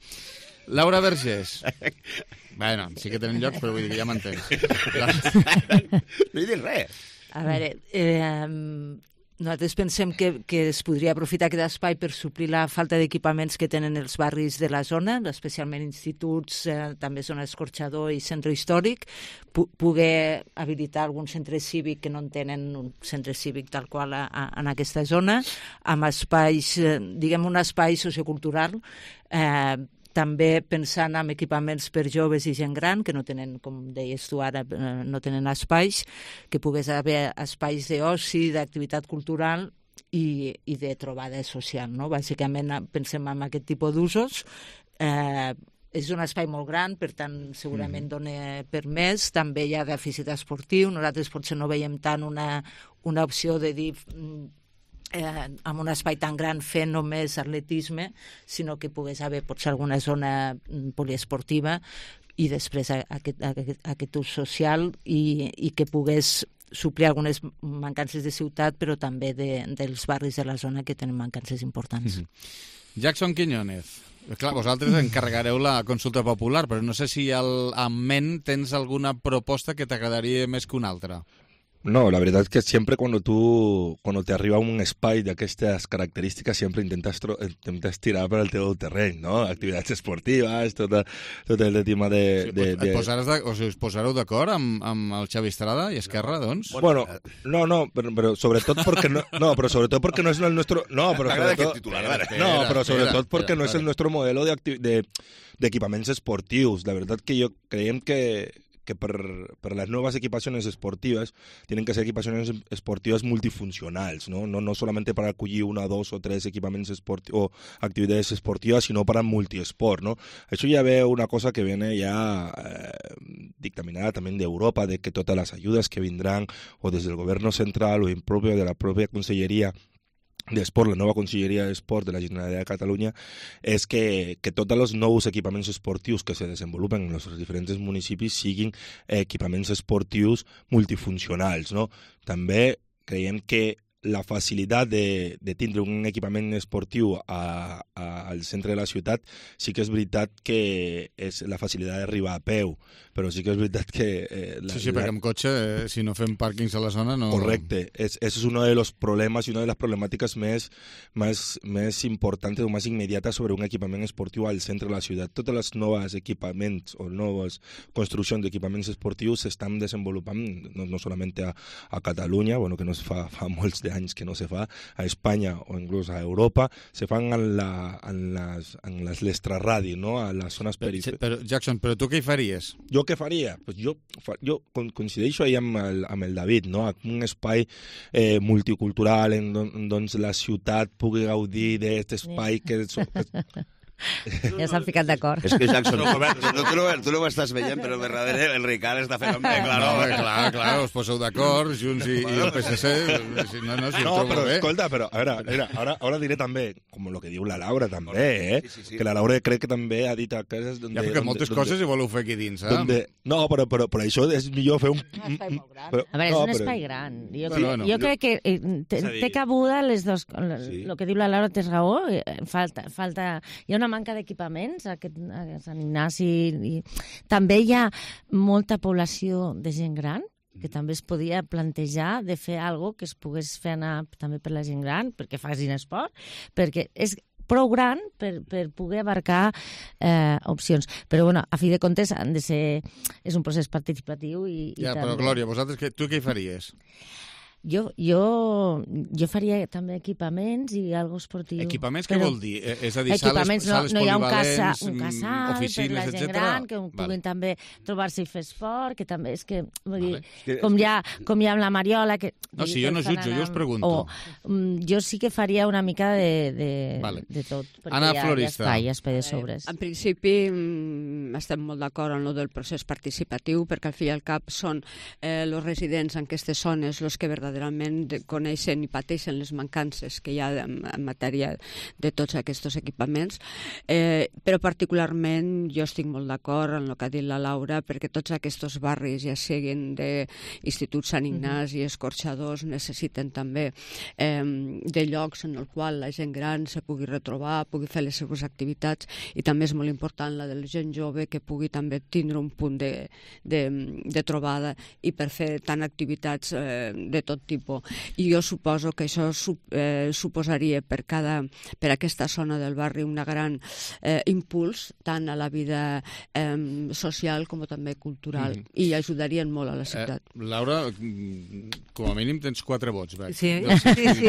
[SPEAKER 2] Laura Vergés. Bueno, sí que tenen lloc, però vull dir que ja m'entens. La...
[SPEAKER 10] No he dit res.
[SPEAKER 9] A veure, eh, nosaltres pensem que, que es podria aprofitar aquest espai per suplir la falta d'equipaments que tenen els barris de la zona, especialment instituts, eh, també zona escorxador i centre històric, pu poder habilitar algun centre cívic que no en tenen un centre cívic tal qual a, a, en aquesta zona, amb espais, eh, diguem un espai sociocultural, eh, també pensant en equipaments per joves i gent gran, que no tenen, com deies tu ara, no tenen espais, que pogués haver espais d'oci, d'activitat cultural i, i de trobada social, no? Bàsicament pensem en aquest tipus d'usos. Eh, és un espai molt gran, per tant, segurament dona per més. També hi ha dèficit esportiu. Nosaltres potser no veiem tant una, una opció de dir... Eh, amb un espai tan gran fer només atletisme, sinó que pogués haver potser alguna zona poliesportiva i després aquest, aquest, aquest ús social i, i que pogués suplir algunes mancances de ciutat, però també de, dels barris de la zona que tenen mancances importants.
[SPEAKER 2] Mm-hmm. Jackson Quiñónez, clar, vosaltres encarregareu la consulta popular, però no sé si al, en ment tens alguna proposta que t'agradaria més que una altra.
[SPEAKER 12] No, la verdad es que siempre cuando tú, cuando te arriba un espai d'aquestes característiques, siempre intentas, intentas tirar per al teu terreny, no? Activitats esportives, tot, tot el tema de...
[SPEAKER 2] Sí,
[SPEAKER 12] de,
[SPEAKER 2] et
[SPEAKER 12] de...
[SPEAKER 2] posaràs de, o sigui, us posareu d'acord amb, amb el Xavi Estrada i Esquerra, doncs?
[SPEAKER 12] Bueno, no, no, pero, pero sobre todo porque no, no, pero sobre todo porque no es el nuestro, no, pero sobre todo, no, pero sobre todo porque no es el nuestro modelo de, de, de equipaments esportius. La verdad que yo creiem que que per, per les noves equipacions esportives tienen que ser equipacions esportives multifuncionals, ¿no? No, no solamente para acollir una, dos o tres equipaments esportivos o actividades esportivas, sino para multiesport, ¿no? Eso ya ve una cosa que viene ya eh, dictaminada también de Europa, de que todas las ayudas que vendrán o desde el gobierno central o en propio de la propia Conselleria d'Esport, la nova Conselleria d'Esport de la Generalitat de Catalunya, és que, que tots els nous equipaments esportius que se desenvolupen en els diferents municipis siguin equipaments esportius multifuncionals, no? També creiem que la facilitat de, de tindre un equipament esportiu a, a, al centre de la ciutat sí que és veritat que és la facilitat d'arribar a peu, però sí que és veritat que... Eh, la,
[SPEAKER 2] sí, sí, perquè amb cotxe, eh, si no fem pàrquings a la zona, no...
[SPEAKER 12] Correcte, es, ese es uno de los problemas y una de las problemáticas més, més, més importantes o més immediates sobre un equipament esportiu al centre de la ciutat. Totes les noves equipaments o noves construccions d'equipaments esportius s'estan desenvolupant no, no solament a, a Catalunya, bueno, que no es fa, fa molts de anys que no se fa, a Espanya o inclús a Europa, se fan en, la, en, les, en les l'extraradi, no? A les zones perifèriques.
[SPEAKER 2] Però, Jackson, però tu què hi faries?
[SPEAKER 12] Jo què faria? Pues jo, jo coincideixo ahí amb el, amb el David, no? Un espai eh, multicultural en don, doncs la ciutat pugui gaudir d'aquest espai que... que
[SPEAKER 9] ja s'han ficat d'acord.
[SPEAKER 10] És que Jackson, no, tu, tu, no, tu no ho estàs veient, però de darrere el Ricard està fent...
[SPEAKER 2] Eh, clar, no, eh, clar, clar, us poseu d'acord, Junts i, i el P S C. Si no, no, si
[SPEAKER 12] no, però
[SPEAKER 2] bé.
[SPEAKER 12] Escolta, però a veure, mira, ara, ara diré també, com el que diu la Laura també, eh? Sí, sí, sí. Que la Laura crec que també ha dit a cases... Donde,
[SPEAKER 2] ja, perquè
[SPEAKER 12] donde,
[SPEAKER 2] moltes
[SPEAKER 12] donde,
[SPEAKER 2] coses hi voleu fer aquí dins, eh?
[SPEAKER 12] Donde, no, però, però, però això és millor fer un...
[SPEAKER 9] Un espai molt gran.
[SPEAKER 12] Però,
[SPEAKER 9] a veure, és
[SPEAKER 12] no,
[SPEAKER 9] un
[SPEAKER 12] però...
[SPEAKER 9] espai gran. Jo,
[SPEAKER 2] bueno, bueno.
[SPEAKER 9] jo crec que eh, té, té cabuda les dos... El sí. que diu la Laura té raó. Falta, falta... Hi ha una manca d'equipament a, aquest, a Sant Ignasi i també hi ha molta població de gent gran que també es podia plantejar de fer alguna que es pogués fer anar també per la gent gran perquè facin esport, perquè és prou gran per, per poder abarcar eh, opcions. Però, bueno, a fi de comptes, han de ser... és un procés participatiu i, i
[SPEAKER 2] ja,
[SPEAKER 9] també...
[SPEAKER 2] però, Glòria, vosaltres, que, tu què hi faries?
[SPEAKER 9] Jo, jo, jo faria també equipaments i algo esportiu.
[SPEAKER 2] Equipaments què
[SPEAKER 9] però...
[SPEAKER 2] vol dir? És a dir,
[SPEAKER 9] equipaments,
[SPEAKER 2] sales, sales
[SPEAKER 9] no, no hi ha un, casa,
[SPEAKER 2] polivalents,
[SPEAKER 9] un casal
[SPEAKER 2] oficines,
[SPEAKER 9] per la gent
[SPEAKER 2] etcètera?
[SPEAKER 9] gran, que puguin vale. també trobar-se i fer esport, que també és que, vull
[SPEAKER 2] vale.
[SPEAKER 9] dir, com, ja, com hi ha amb la Mariola... Que,
[SPEAKER 2] no, si jo no jutjo, jo us pregunto.
[SPEAKER 9] O, um, jo sí que faria una mica de, de,
[SPEAKER 2] vale.
[SPEAKER 9] de tot, perquè
[SPEAKER 2] Anna
[SPEAKER 9] hi ha,
[SPEAKER 2] Florista.
[SPEAKER 9] hi ha espai, hi ha espai de sobres.
[SPEAKER 13] Eh, en principi mm, estem molt d'acord en el del procés participatiu, perquè al fi i al cap són eh, els residents en aquestes zones els que verdaderament coneixen i pateixen les mancances que hi ha en, en matèria de tots aquests equipaments, eh, però particularment jo estic molt d'acord en el que ha dit la Laura, perquè tots aquests barris, ja siguin d'Institut Sant Ignasi i escorxadors, necessiten també eh, de llocs en el qual la gent gran se pugui retrobar, pugui fer les seves activitats, i també és molt important la de la gent jove que pugui també tindre un punt de, de, de trobada i per fer tant activitats eh, de tot tot tipus. I jo suposo que això eh, suposaria per, cada, per aquesta zona del barri una gran eh, impuls tant a la vida eh, social com també cultural, mm. i ajudarien molt a la ciutat.
[SPEAKER 2] Eh, Laura, com a mínim tens quatre vots, veig.
[SPEAKER 9] Sí,
[SPEAKER 2] no sé.
[SPEAKER 9] sí, sí.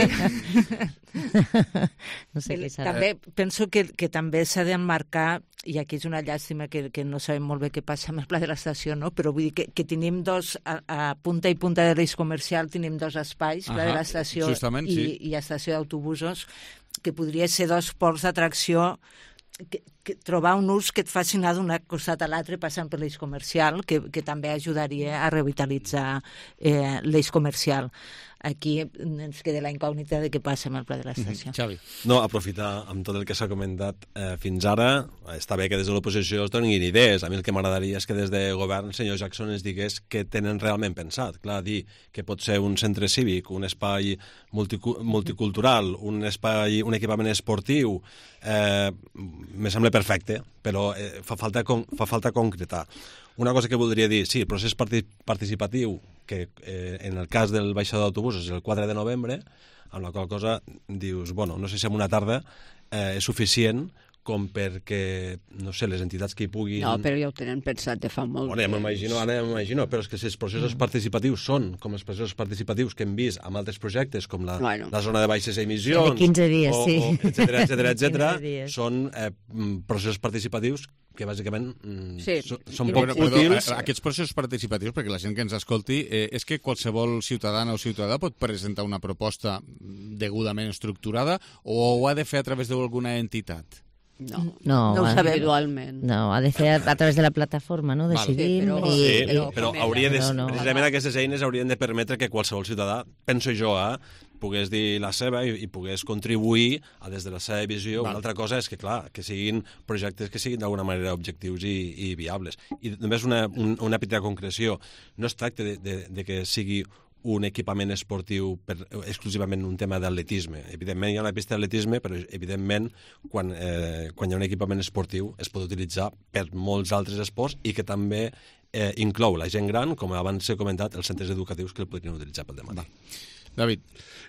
[SPEAKER 14] No sé què serà.
[SPEAKER 9] També penso que, que també s'ha d'emmarcar, i aquí és una llàstima que, que no sabem molt bé què passa amb el pla de l'estació, no? Però vull dir que, que tenim dos, a, a punta i punta de l'eix comercial tenim dos espais, pla de l'estació i,
[SPEAKER 2] sí.
[SPEAKER 9] i estació d'autobusos, que podria ser dos ports d'atracció, que, que trobar un ús que et faci anar d'un costat a l'altre passant per l'eix comercial, que, que també ajudaria a revitalitzar eh, l'eix comercial. Aquí ens queda la incògnita de què passa amb el pla de l'estació.
[SPEAKER 2] Xavi.
[SPEAKER 11] No, aprofitar amb tot el que s'ha comentat eh, fins ara. Està bé que des de l'oposició es donin idees. A mi el que m'agradaria és que des de govern el senyor Jackson ens digués què tenen realment pensat. Clar, dir que pot ser un centre cívic, un espai multicu multicultural, un espai, un equipament esportiu, eh, me sembla perfecte, però eh, fa, falta fa falta concretar. Una cosa que voldria dir, sí, el procés participatiu, que eh, en el cas del baixador d'autobusos és el quatre de novembre, amb la qual cosa dius, bueno, no sé si en una tarda eh, és suficient com perquè, no sé, les entitats que hi puguin...
[SPEAKER 13] No, però ja ho tenen pensat de fa molt.
[SPEAKER 11] Bueno, ja m'imagino, ara ja m'imagino, però és que si els processos participatius són com els processos participatius que hem vist amb altres projectes, com la, bueno. la zona de baixes emissions...
[SPEAKER 14] De quinze dies,
[SPEAKER 11] o,
[SPEAKER 14] sí.
[SPEAKER 11] O, etcètera, etcètera, etcètera, són eh, processos participatius que bàsicament mm,
[SPEAKER 13] sí.
[SPEAKER 11] so, són poc
[SPEAKER 2] Perdó,
[SPEAKER 11] útils.
[SPEAKER 2] Aquests processos participatius, perquè la gent que ens escolti, eh, és que qualsevol ciutadana o ciutadà pot presentar una proposta degudament estructurada o ho ha de fer a través d'alguna entitat?
[SPEAKER 13] No,
[SPEAKER 14] no,
[SPEAKER 13] no ho sabem individualment.
[SPEAKER 14] No, ha de fer a, a través de la plataforma, no? Decidim...
[SPEAKER 11] Sí, però,
[SPEAKER 14] i,
[SPEAKER 11] sí,
[SPEAKER 14] i,
[SPEAKER 11] però, però hauria de,
[SPEAKER 14] no, no.
[SPEAKER 11] precisament aquestes eines haurien de permetre que qualsevol ciutadà, penso jo, eh, pogués dir la seva i, i pogués contribuir a, des de la seva visió. Val. Una altra cosa és que, clar, que siguin projectes que siguin d'alguna manera objectius i, i viables. I només una, un, una petita concreció. No es tracta de, de, de que sigui un equipament esportiu per, exclusivament un tema d'atletisme. Evidentment hi ha una pista d'atletisme, però evidentment quan, eh, quan hi ha un equipament esportiu es pot utilitzar per molts altres esports i que també eh, inclou la gent gran, com abans s'ha comentat, els centres educatius que el podrien utilitzar pel dematí.
[SPEAKER 2] David.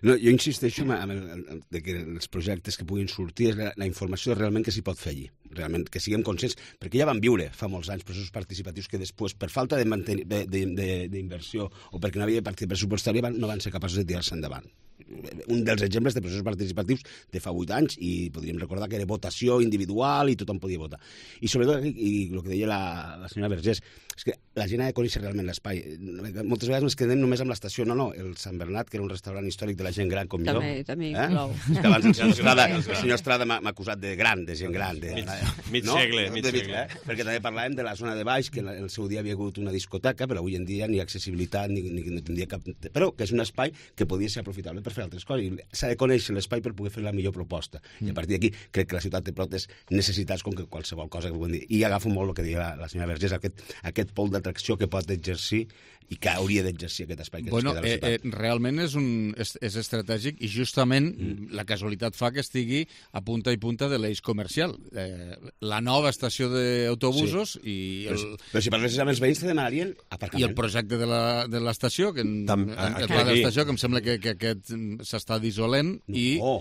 [SPEAKER 10] No, jo insisteixo en el, en el, que els projectes que puguin sortir és la, la informació realment que s'hi pot fer allí, realment que siguem conscients, perquè ja van viure fa molts anys processos participatius que després, per falta d'inversió o perquè no havia partida pressupostària, no van ser capaços de tirar-se endavant. Un dels exemples de processos participatius de fa vuit anys, i podríem recordar que era votació individual i tothom podia votar. I sobretot, i el que deia la, la senyora Vergés, és que la gent ha de conèixer realment l'espai. Moltes vegades ens quedem només amb l'estació. No, no, el Sant Bernat, que era un restaurant històric de la gent gran com
[SPEAKER 13] també,
[SPEAKER 10] jo.
[SPEAKER 13] També,
[SPEAKER 10] eh?
[SPEAKER 13] inclou.
[SPEAKER 10] És que abans el senyor Estrada, el senyor Estrada m'ha acusat de gran, de gent gran. De,
[SPEAKER 11] mig mig
[SPEAKER 10] no?
[SPEAKER 11] segle, mig
[SPEAKER 10] de,
[SPEAKER 11] segle.
[SPEAKER 10] Eh? Perquè també parlàvem de la zona de baix, que en el seu dia havia hagut una discoteca, però avui en dia ni accessibilitat, ni, ni no tindria cap... Però que és un espai que podia ser aprofitable per fer altres coses. S'ha de conèixer l'espai per poder fer la millor proposta. Mm. I a partir d'aquí crec que la ciutat té protes necessitats com que qualsevol cosa que puguem dir. I agafo molt el que deia la, la senyora Vergés, aquest, aquest pol d'atracció que pot exercir i que hauria d'exercir aquest espai que
[SPEAKER 2] bueno,
[SPEAKER 10] ens queda a la ciutat.
[SPEAKER 2] Eh, eh, realment és, un, és, és estratègic i justament mm. la casualitat fa que estigui a punta i punta de l'eix comercial. Eh, la nova estació d'autobusos sí. i... El,
[SPEAKER 10] però, però si parlessis amb els veïns te demanarien aparcament.
[SPEAKER 2] I el projecte de l'estació, que,
[SPEAKER 11] Tam,
[SPEAKER 2] el pla de l'estació, que em sembla que, que aquest s'està dissolent
[SPEAKER 10] no.
[SPEAKER 2] i...
[SPEAKER 10] Oh.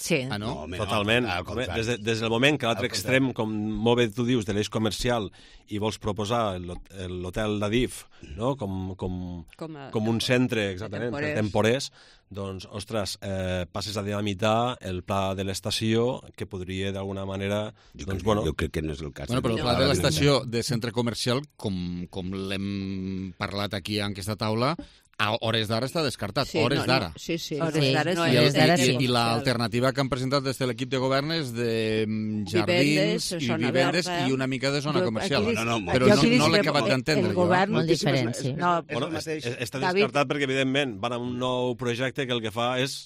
[SPEAKER 9] Sí.
[SPEAKER 2] Ah, no?
[SPEAKER 11] no Totalment. No, des, de, des del moment que l'altre extrem, com molt bé tu dius, de l'eix comercial i vols proposar l'hotel d'Adif no? com, com, com, a, com un centre exactament, temporers. temporers, doncs, ostres, eh, passes a dinamitar el pla de l'estació que podria d'alguna manera...
[SPEAKER 10] Jo,
[SPEAKER 11] doncs,
[SPEAKER 10] crec,
[SPEAKER 11] bueno,
[SPEAKER 10] jo crec que no és el cas.
[SPEAKER 2] Bueno, però el pla de l'estació de centre comercial, com, com l'hem parlat aquí en aquesta taula, a hores d'ara està descartat,
[SPEAKER 13] sí,
[SPEAKER 2] hores
[SPEAKER 13] no,
[SPEAKER 2] d'ara.
[SPEAKER 13] No, sí, sí.
[SPEAKER 14] Hores
[SPEAKER 13] sí.
[SPEAKER 14] d'ara
[SPEAKER 13] no,
[SPEAKER 14] sí.
[SPEAKER 2] I,
[SPEAKER 14] Hores d'ara sí.
[SPEAKER 2] i, i l'alternativa que han presentat des de l'equip de govern és de jardins
[SPEAKER 13] vivendes,
[SPEAKER 2] i vivendes verda. I una mica de zona
[SPEAKER 9] Jo,
[SPEAKER 2] comercial.
[SPEAKER 9] aquí,
[SPEAKER 10] no, no,
[SPEAKER 2] però no,
[SPEAKER 9] aquí
[SPEAKER 2] no l'he acabat d'entendre.
[SPEAKER 14] El govern molt diferent, sí.
[SPEAKER 10] No,
[SPEAKER 11] bueno, està descartat perquè, evidentment, van a un nou projecte que el que fa és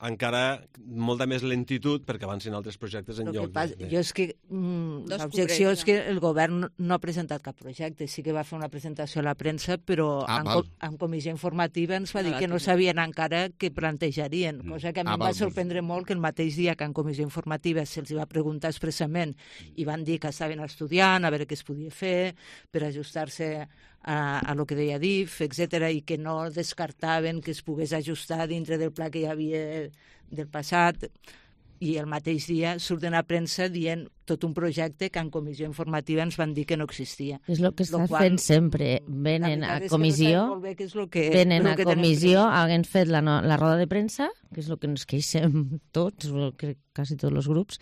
[SPEAKER 11] encara molta més lentitud perquè avancin altres projectes en lloc.
[SPEAKER 9] Pas,
[SPEAKER 11] de...
[SPEAKER 9] Jo és que mm, l'objecció és que el govern no ha presentat cap projecte. Sí que va fer una presentació a la premsa, però
[SPEAKER 2] ah,
[SPEAKER 9] en, co en comissió informativa ens va dir que no sabien encara què plantejarien, cosa que a mi ah, em va val, sorprendre molt que el mateix dia que en comissió informativa se'ls va preguntar expressament i van dir que estaven estudiant a veure què es podia fer per ajustar-se a, a lo que deia D I F, etcètera, i que no descartaven que es pogués ajustar dintre del pla que hi havia del passat, i el mateix dia surten a premsa dient tot un projecte que en comissió informativa ens van dir que no existia.
[SPEAKER 14] És el que estàs fent sempre. Venen a comissió,
[SPEAKER 9] que,
[SPEAKER 14] venen a comissió, haguem fet la, no, la roda de premsa, que és el que ens queixem tots, crec quasi tots els grups,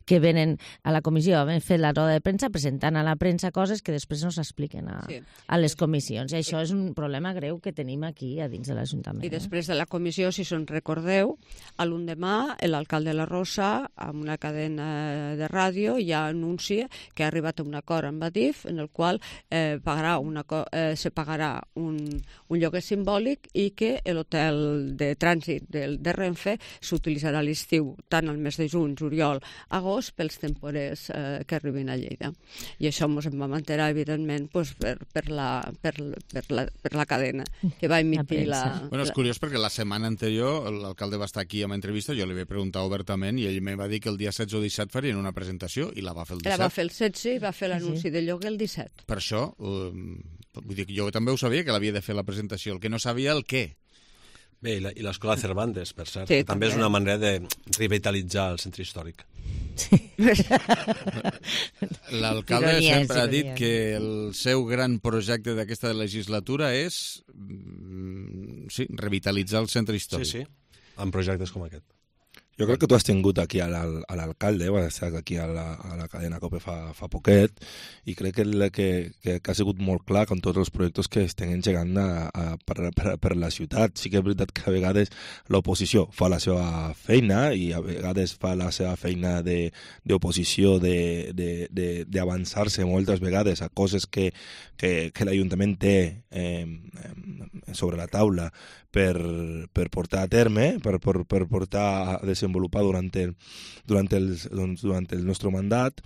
[SPEAKER 14] que venen a la comissió, hem fet la roda de premsa presentant a la premsa coses que després no s'expliquen a, sí. a les comissions. I això és un problema greu que tenim aquí a dins de l'Ajuntament.
[SPEAKER 13] I després de la comissió, si se'n recordeu, a l'endemà l'alcalde La Rosa, amb una cadena de ràdio, ja anuncia que ha arribat a un acord amb Adif en el qual eh, pagarà una, eh, se pagarà un, un lloguer simbòlic i que l'hotel de trànsit del, de Renfe s'utilitzarà a l'estiu, tant al mes de juny, juliol, agost, pels temporers eh, que arribin a Lleida. I això ens en va mantenir, evidentment, pues, per, per, la, per, per, la, per la cadena que va emitir la... la
[SPEAKER 2] bueno, és curiós perquè la setmana anterior l'alcalde va estar aquí amb entrevista, jo li vaig preguntar obertament i ell me va dir que el dia setze o disset farien una presentació i la va fer el disset.
[SPEAKER 13] La va fer el setze i va fer l'anunci sí. de lloguer el disset.
[SPEAKER 2] Per això, um, vull dir, jo també ho sabia que l'havia de fer la presentació, el que no sabia el què.
[SPEAKER 11] Bé, i, la, i l'escola Cervantes, per cert, sí, que també, també és una manera de revitalitzar el centre històric. Sí.
[SPEAKER 2] L'alcalde sempre ha dit que el seu gran projecte d'aquesta legislatura és sí, revitalitzar el centre històric.
[SPEAKER 11] Sí, sí, amb projectes com aquest.
[SPEAKER 12] Jo crec que tu has tingut aquí a l'alcalde, vas estar aquí a la, a la cadena COPE fa, fa poquet, i crec que, que, que, que ha sigut molt clar amb tots els projectes que estem engegant a, a, per, per, per la ciutat. Sí que és veritat que a vegades l'oposició fa la seva feina i a vegades fa la seva feina d'oposició d'avançar-se moltes vegades a coses que, que, que l'Ajuntament té eh, sobre la taula per, per portar a terme, per, per, per portar a desenvolupar durant el, durant el, doncs, durant el nostre mandat,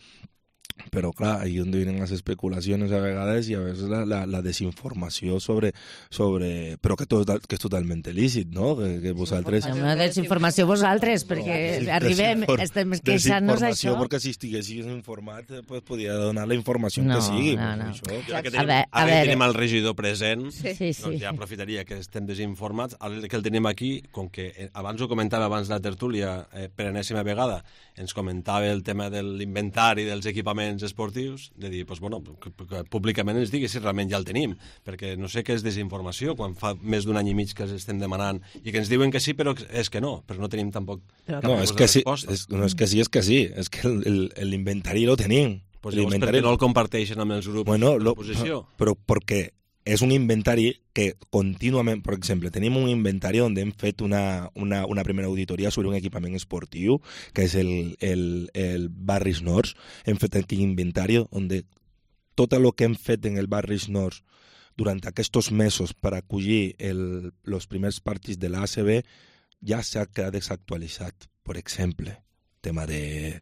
[SPEAKER 12] però clar, ahí on vienen les especulacions a vegades i a vegades la, la, la desinformació sobre, sobre... però que, tot, que és totalment lícit, no? Que, que vosaltres...
[SPEAKER 14] Una desinformació vosaltres, perquè no, arribem, estem queixant-nos això.
[SPEAKER 12] Desinformació, perquè si estiguessis informat, pues, podia donar la informació no, que sigui.
[SPEAKER 14] No, no.
[SPEAKER 11] Això. Ara que tenim, ara que tenim el regidor present, sí. Sí, sí. Doncs ja aprofitaria que estem desinformats. Ara que el tenim aquí, com que abans ho comentava abans de la tertúlia, eh, per enèsima vegada, ens comentava el tema de l'inventari dels equipaments esportius, de dir, doncs, bueno, que, que públicament ens digui si realment ja el tenim, perquè no sé què és desinformació, quan fa més d'un any i mig que els estem demanant, i que ens diuen que sí, però és que no, però no tenim tampoc cap
[SPEAKER 12] no, és que sí, és, no, és que sí, és que sí, és que l'inventari lo tenim.
[SPEAKER 11] Pues llavors, per què no el comparteixen amb els grups
[SPEAKER 12] bueno,
[SPEAKER 11] de l'oposició?
[SPEAKER 12] Però perquè és un inventari que contínuament, per exemple, tenim un inventari on hem fet una, una, una primera auditoria sobre un equipament esportiu, que és el, el, el Barris Nords. Hem fet aquí un inventari on tot el que hem fet en el Barris Nords durant aquests mesos per acollir els primers partits de l'A C B ja s'ha quedat desactualitzat. Per exemple, tema de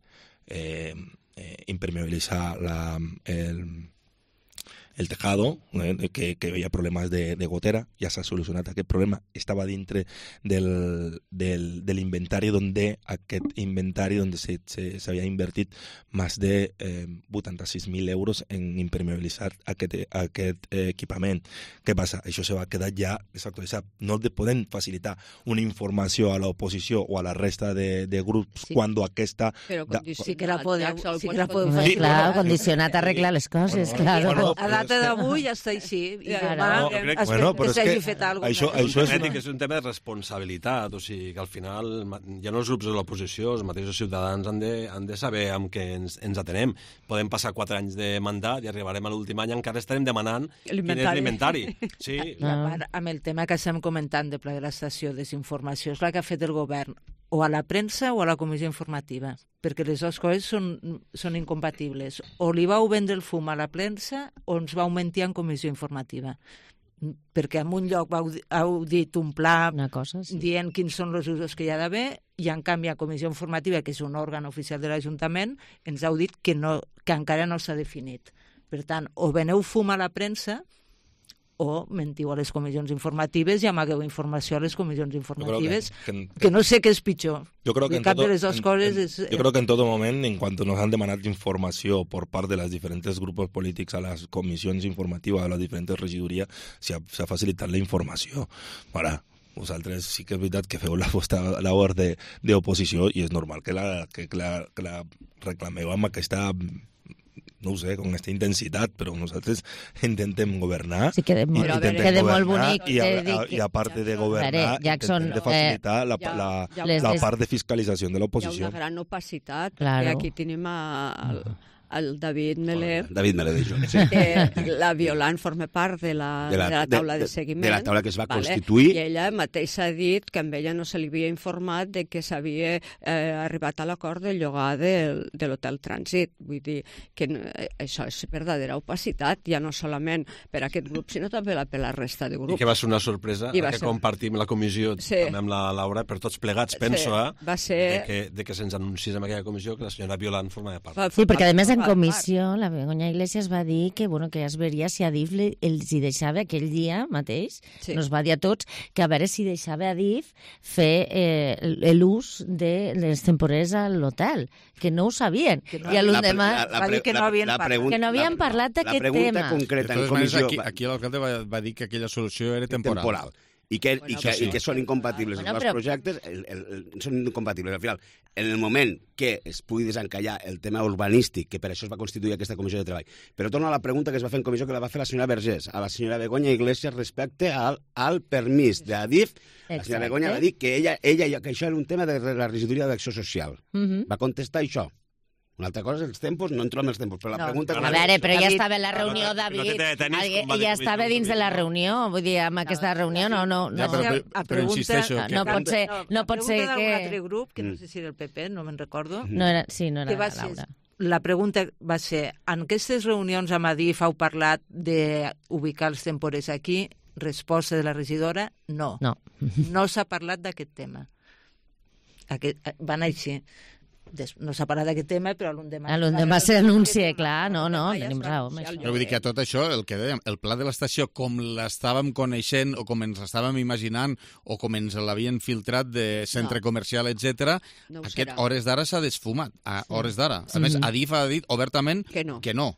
[SPEAKER 12] eh, eh, impermeabilitzar la, el... el tejado, eh, que, que hi ha problemes de, de gotera, ja s'ha solucionat aquest problema, estava dintre del, del, de l'inventari donde aquest inventari donde s'havia invertit més de eh, vuitanta-sis mil euros en impermeabilitzar aquest, aquest eh, equipament. Què passa? Això se va quedar ja desactualitzat. No podem facilitar una informació a l'oposició o a la resta de, de grups sí. quan aquesta...
[SPEAKER 13] Però condicionat.
[SPEAKER 9] Sí que la podeu, sí que la podeu
[SPEAKER 14] sí, clar, condicionat a arreglar les coses,
[SPEAKER 9] bueno,
[SPEAKER 14] claro.
[SPEAKER 9] Bueno, a data d'avui ja està així. I demà
[SPEAKER 11] no,
[SPEAKER 9] es,
[SPEAKER 11] bueno,
[SPEAKER 9] que s'hagi fet alguna cosa.
[SPEAKER 11] Això, això és, una... que és un tema de responsabilitat, o sigui, que al final ja no els grups de l'oposició, els mateixos ciutadans han de, han de saber amb què ens, ens atenem. Podem passar quatre anys de mandat i arribarem a l'últim any encara estarem demanant quin és l'inventari. Sí.
[SPEAKER 9] I a part, amb el tema que estem comentant de pla de l'estació, desinformació, és la que ha fet el govern o a la premsa o a la comissió informativa, perquè les dues coses són, són incompatibles. O li vau vendre el fum a la premsa o ens vau mentir en comissió informativa. Perquè en un lloc vau, heu dit un pla
[SPEAKER 14] Una cosa, sí.
[SPEAKER 9] dient quins són els usos que hi ha d'haver i en canvi a comissió informativa, que és un òrgan oficial de l'Ajuntament, ens heu dit que, no, que encara no s'ha definit. Per tant, o veneu fum a la premsa o mentiu a les comissions informatives i amagueu informació a les comissions informatives,
[SPEAKER 12] que, que,
[SPEAKER 9] que no sé què és pitjor.
[SPEAKER 12] Yo creo que en
[SPEAKER 9] cap
[SPEAKER 12] todo,
[SPEAKER 9] de les dues
[SPEAKER 12] en,
[SPEAKER 9] coses
[SPEAKER 12] en,
[SPEAKER 9] és...
[SPEAKER 12] Yo creo que en todo moment, en cuanto nos han demanat informació por part de les diferents grupos polítics a les comissions informatives, a les diferents regidories, s'ha facilitat la informació. Ara, vosaltres sí que és veritat que feu la vostra labor d'oposició i és normal que la, que, la, que la reclameu amb aquesta... no ho sé, con aquesta intensitat, però nosaltres intentem governar.
[SPEAKER 14] Sí, queda molt, queda molt bonic.
[SPEAKER 12] I a, a, i a part de governar,
[SPEAKER 14] veure, Jackson,
[SPEAKER 12] intentem de facilitar
[SPEAKER 14] eh,
[SPEAKER 12] la,
[SPEAKER 14] ja,
[SPEAKER 12] la,
[SPEAKER 14] ja,
[SPEAKER 12] la,
[SPEAKER 14] ja,
[SPEAKER 12] la part de fiscalització de l'oposició.
[SPEAKER 13] Hi ha una gran opacitat,
[SPEAKER 14] claro.
[SPEAKER 13] perquè aquí tenim el, el David Melé,
[SPEAKER 10] David Melé de jo, sí.
[SPEAKER 13] que la Violant forma part de la, de la, de la taula de, de seguiment.
[SPEAKER 10] De la taula que es va
[SPEAKER 13] vale?
[SPEAKER 10] constituir.
[SPEAKER 13] I ella mateixa ha dit que amb ella no se li havia informat de que s'havia eh, arribat a l'acord de llogar del, de l'hotel Trànsit. Vull dir que eh, això és verdadera opacitat, ja no solament per aquest grup, sinó també per la resta de grups.
[SPEAKER 11] I que va ser una sorpresa que
[SPEAKER 13] ser...
[SPEAKER 11] compartim la comissió
[SPEAKER 13] sí.
[SPEAKER 11] també amb la Laura, per tots plegats, penso,
[SPEAKER 13] sí.
[SPEAKER 11] eh,
[SPEAKER 13] va ser...
[SPEAKER 11] de que, de que se'ns anunciés en aquella comissió que la senyora Violant formava part.
[SPEAKER 14] Sí, perquè a més en comissió la Begoña Iglesias va dir que, bueno, que ja es veria si Adif els hi deixava aquell dia mateix, sí. Nos va dir a tots que a veure si deixava Adif fer eh, l'ús de les temporers a l'hotel, que no ho sabien.
[SPEAKER 9] Que no,
[SPEAKER 14] I a l'endemà
[SPEAKER 9] va dir que no havien parlat.
[SPEAKER 14] Que no havien parlat d'aquest tema.
[SPEAKER 10] La pregunta concreta en comissió...
[SPEAKER 2] Aquí, aquí l'alcalde va, va dir que aquella solució era temporal.
[SPEAKER 10] temporal. I que,
[SPEAKER 14] bueno,
[SPEAKER 10] i que,
[SPEAKER 14] sí.
[SPEAKER 10] i que són incompatibles bueno, els però... projectes, el, el, el, són incompatibles. Al final, en el moment que es pugui desencallar el tema urbanístic, que per això es va constituir aquesta comissió de treball. Però torno a la pregunta que es va fer en comissió, que la va fer la senyora Vergés, a la senyora Begoña Iglesias respecte al, al permís d'Adif. La senyora Begoña va dir que, ella, ella, que això era un tema de la regidoria d'acció social. Uh -huh. Va contestar això. Una altra cosa és els tempos, no entro en els tempos, però la
[SPEAKER 14] no,
[SPEAKER 10] pregunta...
[SPEAKER 14] A veure, però ja estava en la reunió, David, no ja estava dins de la reunió, vull dir, amb aquesta reunió no... no, no.
[SPEAKER 2] Ja, però, però, però insisteixo...
[SPEAKER 14] No, no pot ser, no pot ser que...
[SPEAKER 9] La pregunta d'un altre grup, que no sé si era el P P, no me'n recordo...
[SPEAKER 14] No era, sí, no era la Laura.
[SPEAKER 9] La pregunta va ser, en aquestes reunions amb Adif heu parlat d'ubicar els temporers aquí? Resposta de la regidora, no.
[SPEAKER 14] No,
[SPEAKER 9] no s'ha parlat d'aquest tema. Aquest, van així. No s'ha parlat d'aquest tema, però a l'endemà...
[SPEAKER 14] A l'endemà s'anuncia, clar, no, no, tenim raó.
[SPEAKER 2] Però vull dir que a tot això, el que dèiem, el pla de l'estació, com l'estàvem coneixent o com ens l'estàvem imaginant o com ens l'havien filtrat de centre no. comercial, etcètera, no aquest serà. Hores d'ara s'ha desfumat, a sí. hores d'ara. A sí. més, Adif ha dit obertament que no. Que no.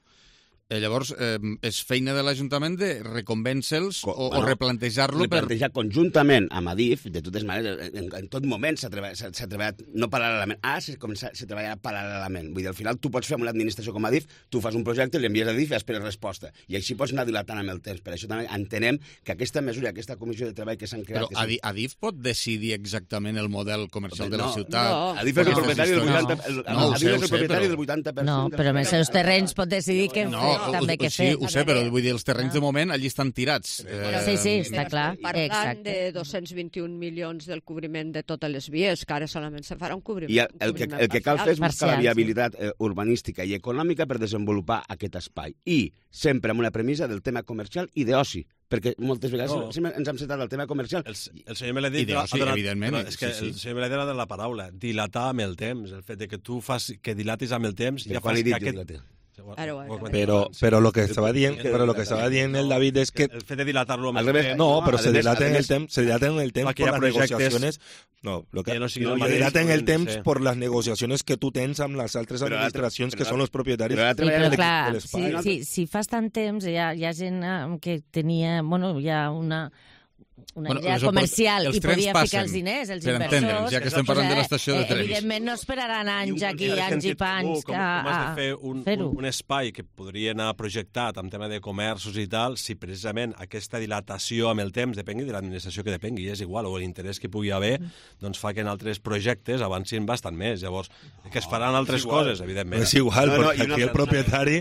[SPEAKER 2] Llavors, eh, és feina de l'Ajuntament de reconvèncer-los o, bueno, o replantejar-lo per...
[SPEAKER 10] Replantejar conjuntament amb Adif, de totes maneres, en, en tot moment s'ha treballat, treballat no paral·lelament, ara s'ha començat a treballar paral·lelament. Vull dir, al final tu pots fer amb una administració com Adif, tu fas un projecte, l'envies a Adif i esperes resposta. I així pots anar dilatant amb el temps. Per això també entenem que aquesta mesura, aquesta comissió de treball que s'han creat...
[SPEAKER 2] Però Adif, Adif pot decidir exactament el model comercial no, de la ciutat?
[SPEAKER 10] No, Adif és el propietari del vuitanta per cent. No, Adif és el propietari del vuitanta per cent.
[SPEAKER 14] No, però amb els seus terrenys pot decidir què fer, també què fer.
[SPEAKER 2] Ho sé, però vull dir, els terrenys de moment allí estan tirats.
[SPEAKER 14] Eh... Sí, sí, està clar.
[SPEAKER 13] Parlant
[SPEAKER 14] Exacte.
[SPEAKER 13] de dos-cents vint-i-un milions del cobriment de totes les vies, que ara solament se farà un cobriment.
[SPEAKER 10] I el, el, que, el que cal fer és buscar la viabilitat eh, urbanística i econòmica per desenvolupar aquest espai. I sempre amb una premissa del tema comercial i d'oci, perquè moltes vegades no. sempre ens hem centrat al tema comercial.
[SPEAKER 11] El, el senyor Meledi...
[SPEAKER 2] I d'oci,
[SPEAKER 11] donat,
[SPEAKER 2] evidentment.
[SPEAKER 11] No, és que sí, sí. El senyor Meledi ha de la paraula, dilatar amb el temps, el fet de que tu fas, que dilatis amb el temps...
[SPEAKER 10] Ja
[SPEAKER 11] fas
[SPEAKER 10] que
[SPEAKER 11] aquest...
[SPEAKER 12] Pero, pero lo que estaba dient, pero lo que estaba dient el David es que
[SPEAKER 11] el fet de dilatar-lo
[SPEAKER 12] al revés, no, pero se dilata en el temps, se dilata en el temps por las negociaciones, no, lo que no, se dilata en el temps por las negociaciones que tú tens amb les altres administracions que són els propietaris
[SPEAKER 14] de l'espai. Si si fas tant temps hi ha gent que tenia, bueno, hi ha una una bueno, idea comercial i podia ficar els diners, els inversors...
[SPEAKER 2] Ja que estem parlant de l'estació de trens.
[SPEAKER 14] Evidentment no esperaran anys aquí, anys i panys
[SPEAKER 11] com,
[SPEAKER 14] a,
[SPEAKER 11] com has de fer un, un, un espai que podria anar projectat amb tema de comerços i tal, si precisament aquesta dilatació amb el temps depengui de l'administració que depengui, és igual, o l'interès que pugui haver, doncs fa que en altres projectes avancin bastant més. Llavors, que es faran altres coses, evidentment.
[SPEAKER 12] És igual, no, no, perquè aquí el propietari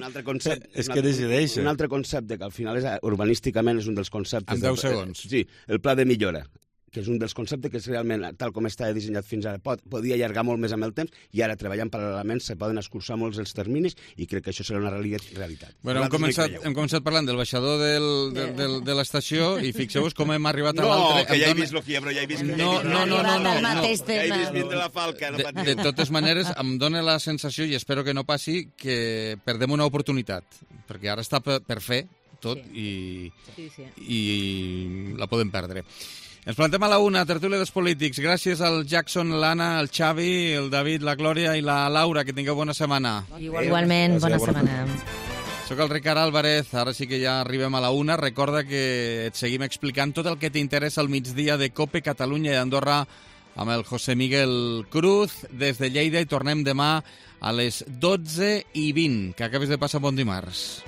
[SPEAKER 12] és que decideix.
[SPEAKER 10] Un altre concepte, que al final és urbanísticament és un dels conceptes...
[SPEAKER 2] En deu segons.
[SPEAKER 10] Sí, el pla de millora, que és un dels conceptes que és realment, tal com està dissenyat fins ara, pot, podia allargar molt més amb el temps i ara treballant paral·lelament se poden escurçar molts els terminis i crec que això serà una realitat.
[SPEAKER 2] Bueno, hem començat, hem començat parlant del baixador del, del, del, de l'estació i fixeu-vos com hem arribat a l'altre...
[SPEAKER 10] No, que ja he vist lo que hi ha, però ja he vist...
[SPEAKER 2] No, no, no, no, no, no.
[SPEAKER 10] Ja he vist vindre la falca.
[SPEAKER 2] De, de totes maneres, em dóna la sensació, i espero que no passi, que perdem una oportunitat, perquè ara està per, per fer, tot
[SPEAKER 9] Sí.
[SPEAKER 2] i,
[SPEAKER 9] Sí, sí.
[SPEAKER 2] i la podem perdre. Ens plantem a la una, tertúlia dels polítics. Gràcies al Jackson, l'Anna, el Xavi, el David, la Glòria i la Laura. Que tingueu bona setmana.
[SPEAKER 14] Igualment, bona setmana.
[SPEAKER 2] Soc el Ricard Álvarez, ara sí que ja arribem a la una. Recorda que et seguim explicant tot el que t'interessa al migdia de COPE Catalunya i Andorra amb el José Miguel Cruz des de Lleida i tornem demà a les dotze i vint. Que acabes de passar bon dimarts.